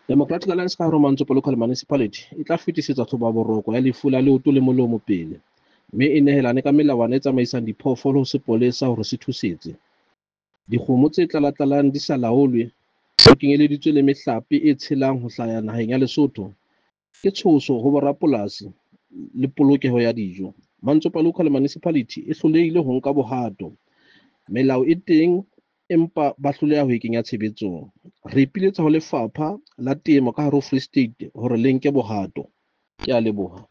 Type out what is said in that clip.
Democratic Alliance ka hare ho Mantsopa Local Municipality e tla fetisetsa tlhobaboroko ya lefu la leoto le molomo pele, mme e nehelane ka melawana e tsamaisang diphoofolo ho sepolesa hore se thusetse. Dikgomo tse tlalatlalang di sa laolwe, ho kenyeleditswe le mehlape e tshelang ho hlaha naheng ya Lesotho, ke tshoso ho borapolasi le polokeho ya dijo. Mantsopa Local Municipality e hlolehile ho nka bohato. Melao e teng empa ba hloleha ho e kenya tshebetsong. Re ipiletsa ho lefapha la temo ka hare ho Free State hore le nke bohato. Ke a leboha.